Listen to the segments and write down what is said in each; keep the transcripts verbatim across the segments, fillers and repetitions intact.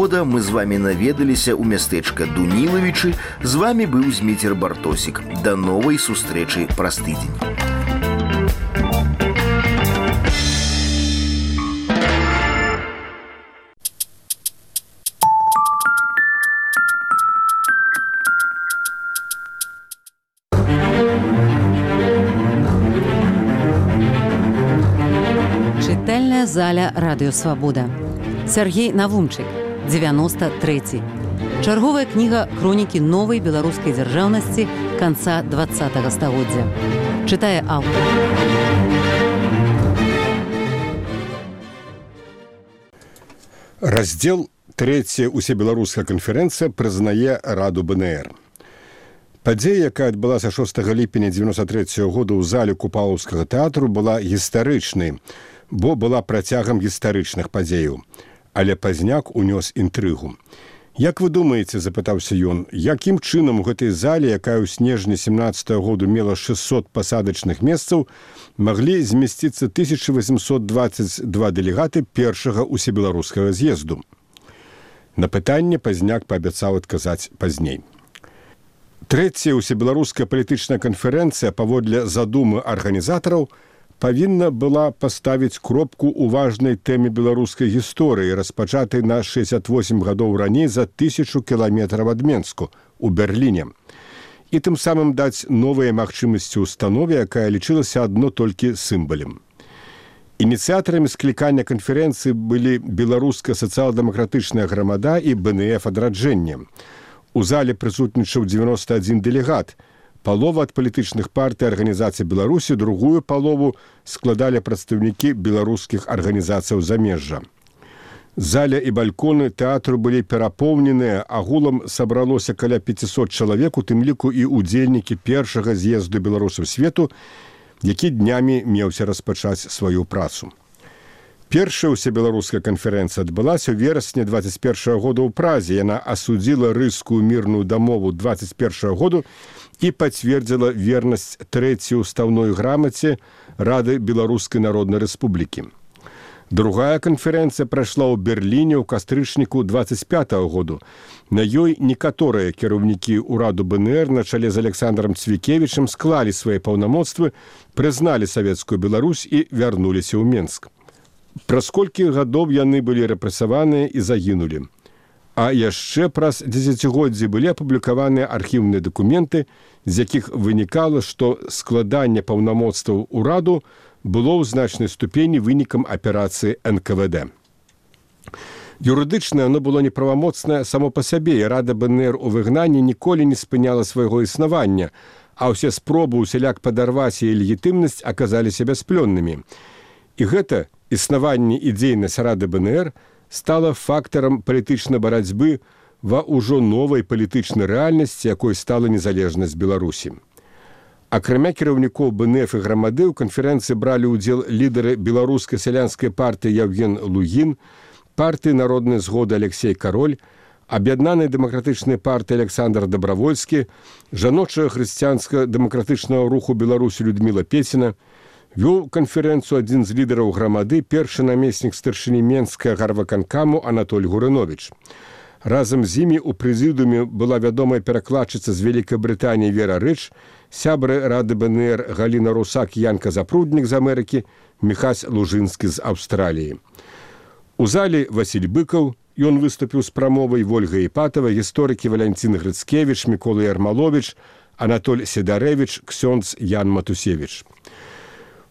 года мы з вами наведаліся ў мястэчка Дунілавічы. З вами быў Зміцер Бартосік. Да новай сустрэчы праз тыдзень. Чытальная заля Радыё Свабода. Сергей Навумчык, дзевяносто трэці. Чарговая кніга хронікі новай беларускай дзяржаўнасці канца двадцатага стагоддзя. Чытае аўтар. Раздзел трэцяя усебеларуская канферэнцыя прызнае Раду БНР. Падзея, якая адбылася шостага ліпеня дзевяносто трэцяга года ў зале Купалаўскага тэатру, была гістарычнай, бо была працягам гістарычных падзеяў. Але пазняк унёс інтрыгу. Як вы думаеце, запытаўся ён, якім чынам у гэтай зале, якая ў снежні семнаццатага году мела шэсцьсот пасадачных месцаў, маглі змясціцца тысяча восемьсот двадцать два дэлегаты першага усебеларускага з'езду? На пытанне пазняк паабяцаў адказаць пазней. Трэцяя усебеларуская палітычная канферэнцыя паводле задумы арганізатараў павінна была паставіць кропку ў важнай тэме беларускай гісторыі, распачатай на шэсцьдзесят восемь гадоў раней за тысячу кіламетраў ад Менску, у Берліне. І тым самым даць новыя магчымасці ўстанове, якая лічылася адно толькі сімвалем. Ініцыятарамі склікання канферэнцыі былі беларуска сацыял-дэмакратычная грамада і БНФ адраджэнне. У зале прысутнічаў дзевяносто адзін дэлегат. Палова ад палітычных партый арганізацый Беларусі, другую палову складалі прадстаўнікі беларускіх арганізацыяў замежжа. Заля і балконы тэатру былі перапоўненыя, агулам сабралося каля пяцісот чалавек, у тым ліку і ўдзельнікі першага з'езду беларусаў свету, які днямі меўся распачаць сваю працу. Першая усебеларуская канферэнцыя адбылася ў верасні двадцать першага года ў Празе. Яна асудзіла рыскую мірную дамову двадцать першага году і пацвердзіла вернасць трэцяй устаўной грамаце Рады Беларускай Народнай Рэспублікі. Другая канферэнцыя прайшла ў Берліне ў кастрычніку двадцать пятага году. На ёй некаторыя кіраўнікі ўраду БНР на чале з Александром Цвікевічам склалі свае паўнамоцтвы, прызналі савецкую Беларусь і вярнуліся ў Менск. Праз колькі гадоў яны былі рэпрэсаваныя і загінулі. А яшчэ праз дзесяцігоддзі былі апублікаваныя архіўныя дакументы, з якіх вынікала, што складанне паўнамоцтваў ураду было ў значнай ступені вынікам аперацыі эн ка вэ дэ. Юрыдычна оно было неправамоцнае само па сабе, і Рада БНР у выгнанні ніколі не спыняла свайго існавання, а ўсе спробы усяляк падарваць яе легітымнасць аказаліся бясплённымі. І гэта існаванне і дзейнасць Рады БНР стала фактарам палітычнай барацьбы ва ўжо новай палітычнай рэальнасці, якой стала незалежнасць Беларусі. Акрамя кіраўнікоў БНФ і грамады ў канферэнцыі бралі ўдзел лідары беларускай сялянскай партыі Яўген Лугін, партыі народнай згоды Алексей Кароль, аб'яднанай дэмакратычнай партыі Александр Дабравольскі, жаночага хрысціянска-дэмакратычнага руху Беларусі Людміла Пеціна. Вёў канферэнцыю адзін з лідараў грамады, першы намеснік старшыні Менскага гарваканкаму Анатоль Гурыновіч. Разам з імі ў прэзідыуме была вядомая перакладчыца з Вялікай Брытаніі Вера Рыч, сябры Рады БНР Галіна Русак і Янка Запруднік з Амерыкі, Міхась Лужынскі з Аўстраліі. У залі Васіль Быкаў, ён выступіў з прамовай, Вольга Іпатава, гісторыкі Валянцін Грыцкевіч, Мікола Ярмаловіч, Анатоль Седарэвіч, ксёндз Ян Матусевіч.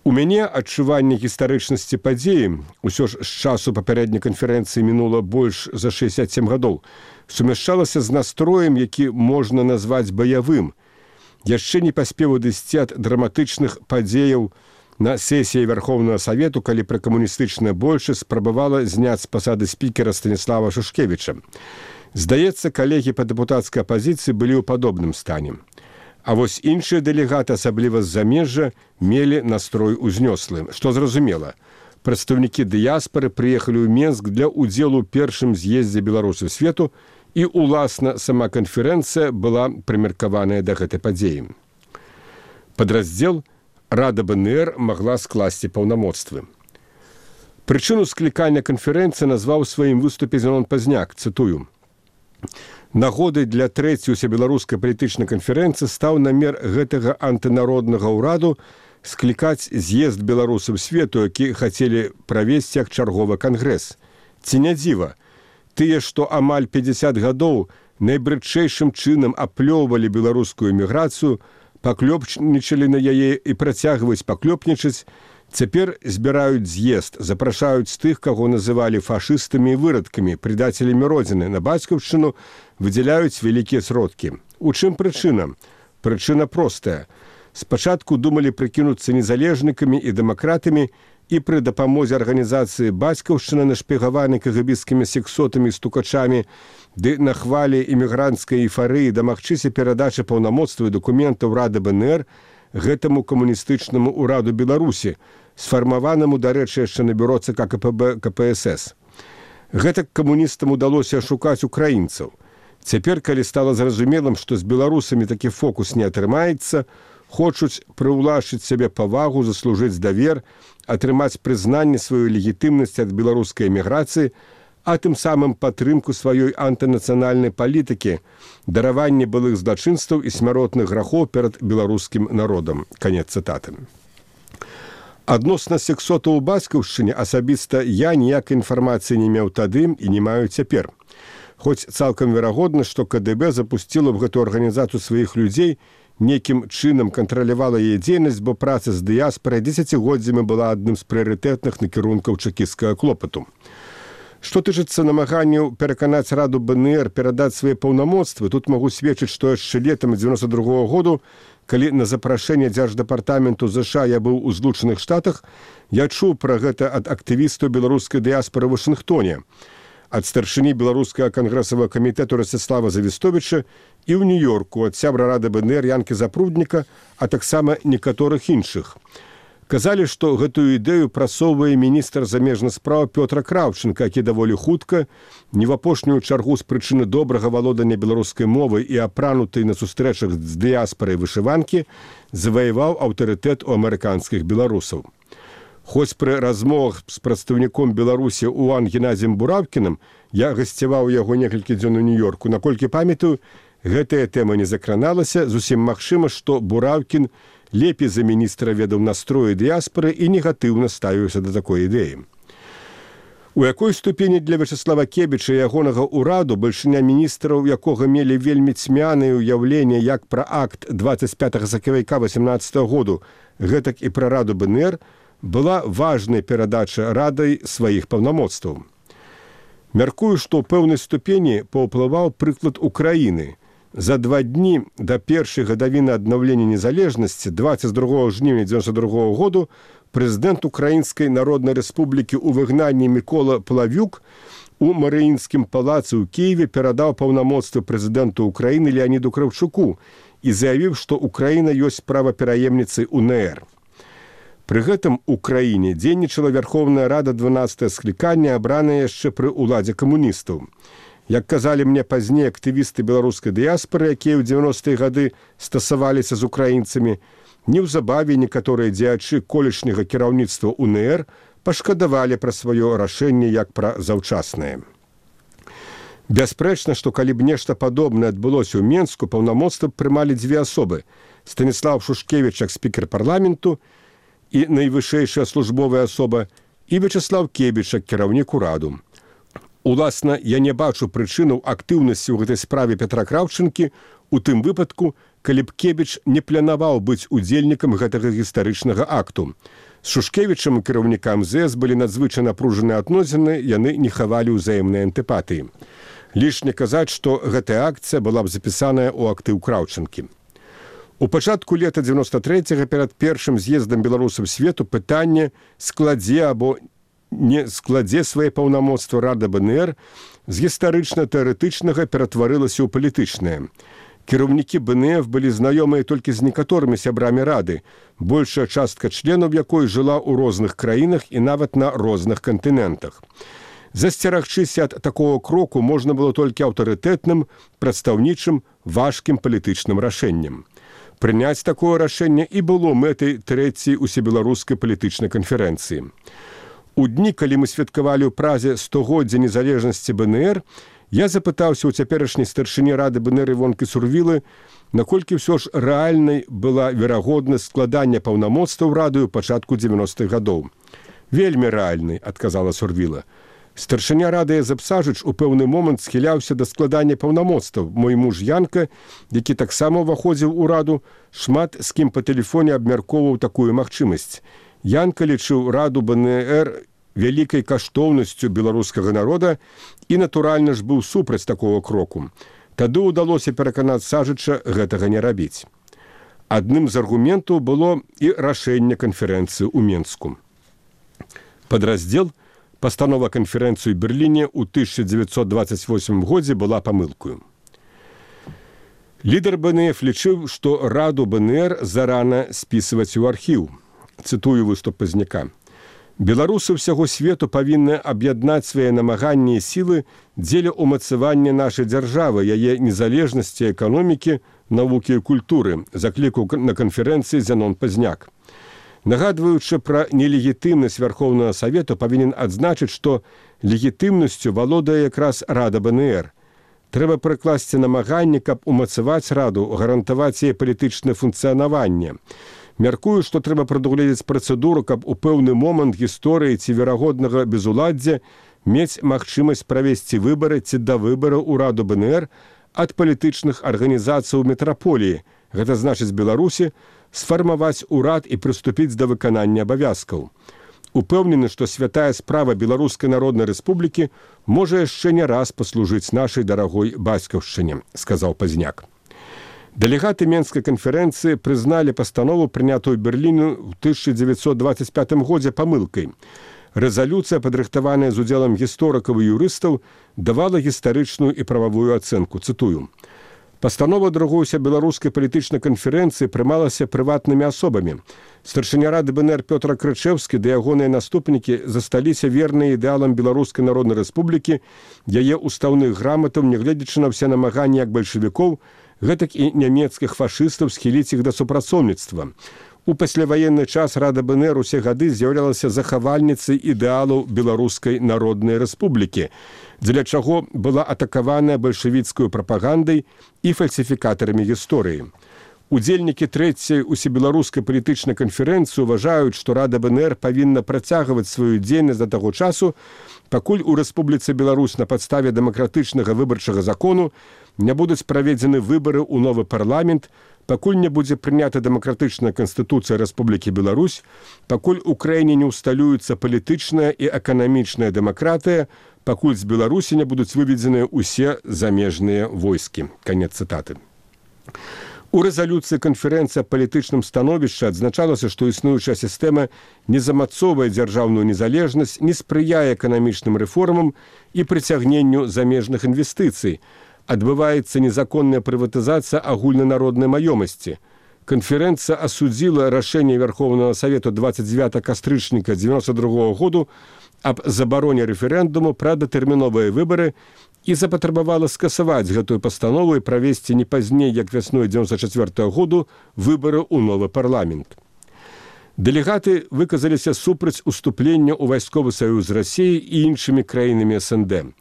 У мяне адчуванне гістарычнасці падзеі, усё ж з часу папярэдняй канферэнцыі мінула больш за шэсцьдзесят сем гадоў, сумяшчалася з настроем, які можна назваць баявым. Яшчэ не паспеў адысці ад драматычных падзеяў на сесіі Вярхоўнага Савету, калі пракамуністычная большасць спрабавала зняць з пасады спікера Станіслава Шушкевіча. Здаецца, калегі па дэпутацкай апазіцыі былі ў падобным стане. А вось іншыя дэлегаты, асабліва з замежжа, мелі настрой узнёслы. Што зразумела, прадстаўнікі дыяспары прыехалі ў Менск для ўдзелу ў першым з'ездзе беларусаў свету, і, уласна, сама канферэнцыя была прымеркаваная да гэтай падзеі. Падраздзел Рада БНР магла скласці паўнамоцтвы. Прычыну склікання канферэнцыі назваў у сваім выступе Зенон Пазняк, цытую: «Нагодай для трэцяй усебеларускай палітычнай канферэнцыі стаў намер гэтага антынароднага ўраду склікаць з'езд беларусаў свету, які хацелі правесці як чарговы кангрэс. Ці не дзіва, тыя, што амаль пяцьдзясят гадоў найбрыдчэйшым чынам аплёўвалі беларускую эміграцыю, паклёпнічалі на яе і працягваюць паклёпнічаць, цяпер збіраюць з'езд, запрашаюць тых, каго называлі фашыстамі і вырадкамі, предателямі родзіны, на бацькаўшчыну выдзяляюць вялікія сродкі. У чым прычына? Прычына простая. Спачатку думалі прыкінуцца незалежнікамі і дэмакратамі, і пры дапамозе арганізацыі бацькаўшчыны, нашпігаванай кагабісцкімі сексотамі і стукачамі, ды на хвалі эмігранцкай эйфарыі дамагчыся перадачы паўнамоцтва і дакументаў Рады БНР гэтаму камуністычнаму ўраду Беларусі, сфармаванаму, дарэчы, яшчэ на бюро ЦК КПБ КПСС. Гэтак камуністам удалося ашукаць украінцаў. Цяпер, калі стала зразумелым, што з беларусамі такі фокус не атрымаецца, хочуць прыўлашчыць сябе павагу, заслужыць давер, атрымаць прызнанне сваёй легітымнасці ад беларускай эміграцыі, а тым самым падтрымку сваёй антынацыянальнай палітыкі, дараванне былых злачынстваў і смяротных грахоў перад беларускім народам». Канец цытаты. Адносна сексотаў у бацькаўшчыне асабіста я ніякай інфармацыі не меў тады і не маю цяпер. Хоць цалкам верагодна, што КДБ запусціла б гэту арганізацыю сваіх людзей, некім чынам кантралявала яе дзейнасць, бо праца з дыяспарай дзесяцігоддзямі была адным з прыярытэтных накірункаў чэкісцкага клопату. Што тычыцца намаганняў пераканаць Раду БНР перадаць свае паўнамоцтвы, тут магу сведчыць, што яшчэ летам дзевяноста другога году, калі на запрашэнне Дзярждэпартаменту ЗША я быў у Злучаных Штатах, я чуў пра гэта ад актывістаў беларускай дыяспары ў Вашынгтоне, ад старшыні беларускага кангрэсавага камітэту Расціслава Завістовіча і ў Нью-Йорку ад сябра Рады БНР Янкі Запрудніка, а таксама некаторых іншых. Казалі, што гэтую ідэю прасоўвае міністр замежных спраў Пётр Краўченка, які даволі хутка, не в апошнюю чаргу з прычыны добрага валодання беларускай мовы і апранутай на сустрэчах з дыяспарай вышыванкі, заваяваў аўтарытэт у амерыканскіх беларусаў. Хоць пры размовах з прадстаўніком Беларусі Уан Геннадзем Буравкіным, я гасцяваў яго некалькі дзён у Нью-Йорку, наколькі памятаю, гэтая тэма не закраналася, зусім магчыма, што Буравкін лепей за міністра ведаў настроі дыяспары і негатыўна ставіўся да такой ідэі. У якой ступені для Вячеслава Кебіча і ягонага ўраду бальшыня міністраў, якога мелі вельмі цьмянае ўяўленне як пра акт дваццаць пятага сакавіка васемнаццатага году, гэтак і пра Раду БНР, была важнай перадача Радай сваіх паўнамоцтваў. Мяркую, што ў пэўнай ступені паўплываў прыклад Украіны. За два дні да першай гадавіны аднаўлення незалежнасці дваццаць другога жніўня дзевяноста другога году прэзідэнт Украінскай Народнай Рэспублікі ў выгнанні Мікола Плавюк у Марыінскім палацы ў Кіеве перадаў паўнамоцтвы прэзідэнту Украіны Леаніду Кравчуку і заявіў, што Украіна ёсць правапераемніцай УНР. Пры гэтым у краіне дзейнічала Вярхоўная Рада дванаццатага склікання, абраная яшчэ пры ўладзе камуністаў. Як казалі мне пазней актывісты беларускай дыяспары, якія ў дзевяностыя гады стасаваліся з украінцамі, неўзабаве некаторыя дзеячы колішняга кіраўніцтва УНР пашкадавалі пра сваё рашэнне як пра заўчаснае. Бясспрэчна, што калі б нешта падобнае адбылося ў Менску, паўнамоцтва прымалі дзве асобы: Станіслав Шушкевіч як спікер парламенту і найвышэйшая службовая асоба, і Вячеслав Кебіч як кіраўнік ураду. Уласна, я не бачу прычынаў актыўнасці ў гэтай справе Петра Краўчэнкі у тым выпадку, калі б Кебіч не планаваў быць удзельнікам гэтага гістарычнага акту. З Шушкевічам і кіраўнікам ЗС былі надзвычай напружаныя адносіны, яны не хавалі ўзаемнай антыпатыі. Лішне казаць, што гэтая акцыя была б запісаная ў актыў Краўчэнкі. У пачатку лета дзевяноста трэцяга перад першым з'ездам беларусаў свету пытанне складзе або не складзе свае паўнамоцтва Рада БНР з гістарычна-тэарэтычнага ператварылася ў палітычнае. Кіраўнікі БНФ былі знаёмыя толькі з некаторымі сябрамі Рады, большая частка членаў якой жыла ў розных краінах і нават на розных кантынентах. Засцерагчыся ад такого кроку можна было толькі аўтарытэтным, прадстаўнічым, важкім палітычным рашэннем. Прыняць такое рашэнне і было мэтай трэцяй усебеларускай палітычнай канферэнцыі. У дні, калі мы святкавалі ў Празе стагоддзя незалежнасці БНР, я запытаўся ў цяперашняй старшыні рады БНР Івонкі Сурвілы, наколькі ўсё ж рэальнай была верагоднасць складання паўнамоцтваў рады ў пачатку дзевяностых гадоў. «Вельмі рэальнай», — адказала Сурвіла. Старшыня рады Езап Сажыч у пэўны момант схіляўся да складання паўнамоцтваў. Мой муж Янка, які таксама ўваходзіў у раду, шмат з кім па тэлефоне абмяркоўваў такую магчымасць. Янка лічыў раду БНР вялікай каштоўнасцю беларускага народа і, натуральна ж, быў супраць такого кроку. Тады ўдалося пераканаць Сажыча гэтага не рабіць. Адным з аргументаў было і рашэнне канферэнцыі ў Менску. Падраздзел «Пастанова канферэнцыі ў Берліне» ў тысяча дзевяцьсот дваццаць восьмым годзе была памылкаю. Лідар БНФ лічыў, што раду БНР зарана спісваць у архіў. Цытую выступ Пазняка. «Беларусы ўсяго свету павінны аб'яднаць свае намаганні і сілы дзеля ўмацавання нашай дзяржавы, яе незалежнасці эканомікі, навукі і культуры», заклікаў на канферэнцыі Зянон Пазняк. Нагадваючы пра нелегітымнасць Вярхоўнага Савету, павінен адзначыць, што легітымнасцю валодае якраз рада БНР. Трэба прыкласці намаганні, каб умацаваць раду, гарантаваць яе палітычнае функцыянаванне. Мяркую, што трэба прадугледзець працэдуру, каб у пэўны момант гісторыі ці верагоднага безуладдзя мець магчымасць правесці выбары ці да выбараў у раду БНР ад палітычных арганізацый у метраполіі, гэта значыць Беларусі, сфармаваць урад і прыступіць да выканання абавязкаў. Упэўнены, што святая справа Беларускай Народнай Рэспублікі можа яшчэ не раз паслужыць нашай дарагой бацькаўшчыне, сказаў Пазняк. Дэлегаты Менскай канферэнцыі прызналі пастанову, прынятую Берліну ў тысяча дзевяцьсот дваццаць пятым годзе памылкай. Рэзалюцыя, падрыхтаваная з удзелам гісторыкаў і юрыстаў, давала гістарычную і прававую ацэнку. Цытую. Пастанова другуюся беларускай палітычнай канферэнцыі прымалася прыватнымі асобамі. Старшыня рады БНР Пётр Крычэўскі ды ягоныя наступнікі засталіся верныя ідэалам Беларускай Народнай Рэспублікі, яе устаўных граматаў, нягледзячы на ўсе намаганні як бальшавікоў, гэтак і нямецкіх фашыстаў схіліць іх да супрацоўніцтва. У пасляваенны час рада БНР усе гады з'яўлялася захавальніцай ідэалаў Беларускай Народнай Рэспублікі, дзеля чаго была атакаваная бальшавіцкую прапагандай і фальсіфікатарамі гісторыі. Удзельнікі трэцяй усебеларускай палітычнай канферэнцыі ўважаюць, што рада БНР павінна працягваць сваю дзейнасць да таго часу, пакуль у Рэспубліцы Беларусь на падставе дэмакратычнага выбарчага закону не будуць праведзены выбары ў новы парламент, пакуль не будзе прынята дэмакратычная канстытуцыя Рэспублікі Беларусь, пакуль у краіне не ўсталюецца палітычная і эканамічная дэмакратыя, пакуль з Беларусі не будуць выведзеныя ўсе замежныя войскі. Канец цытаты. У рэзалюцыі канферэнцыі аб палітычным становішчы адзначалася, што існуючая сістэма не замацоўвае дзяржаўную незалежнасць, не спрыяе эканамічным рэформам і прыцягненню замежных інвестыцый. Адбываецца незаконная прыватызацыя агульнанароднай маёмасці. Канферэнцыя асудзіла рашэнне Вярхоўнага Савету дваццаць дзевятага кастрычніка дзевяносто другога году аб забароне рэферэндуму пра датэрміновыя выбары і запатрабавала скасаваць гэтую пастанову і правесці не пазней, як вясной дзевяносто чацвёртага году, выбары ў новы парламент. Дэлегаты выказаліся супраць уступлення ў вайсковы саюз з Расіяй і іншымі краінамі эс эн дэ.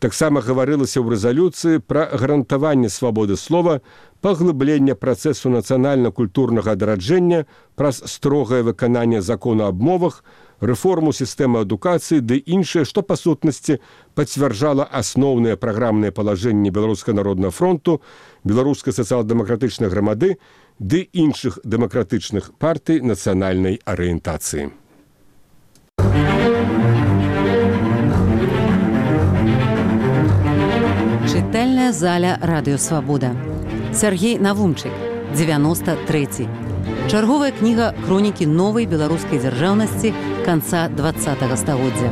Таксама гаварылася ў рэзалюцыі пра гарантаванне свабоды слова, паглыблення працэсу нацыянальна-культурнага адраджэння праз строгае выкананне закону аб мовах, рэформу сістэмы адукацыі ды іншае, што па сутнасці пацвярджала асноўныя праграмныя палажэнні Беларускага народнага фронту, Беларускай сацыял-дэмакратычнай грамады ды іншых дэмакратычных партый нацыянальнай арыентацыі. Чытальная заля Радыё Свабода. Сяргей Навумчык, дзевяносто трэці. Чарговая кніга хронікі новай беларускай дзяржаўнасці канца дваццатага стагоддзя.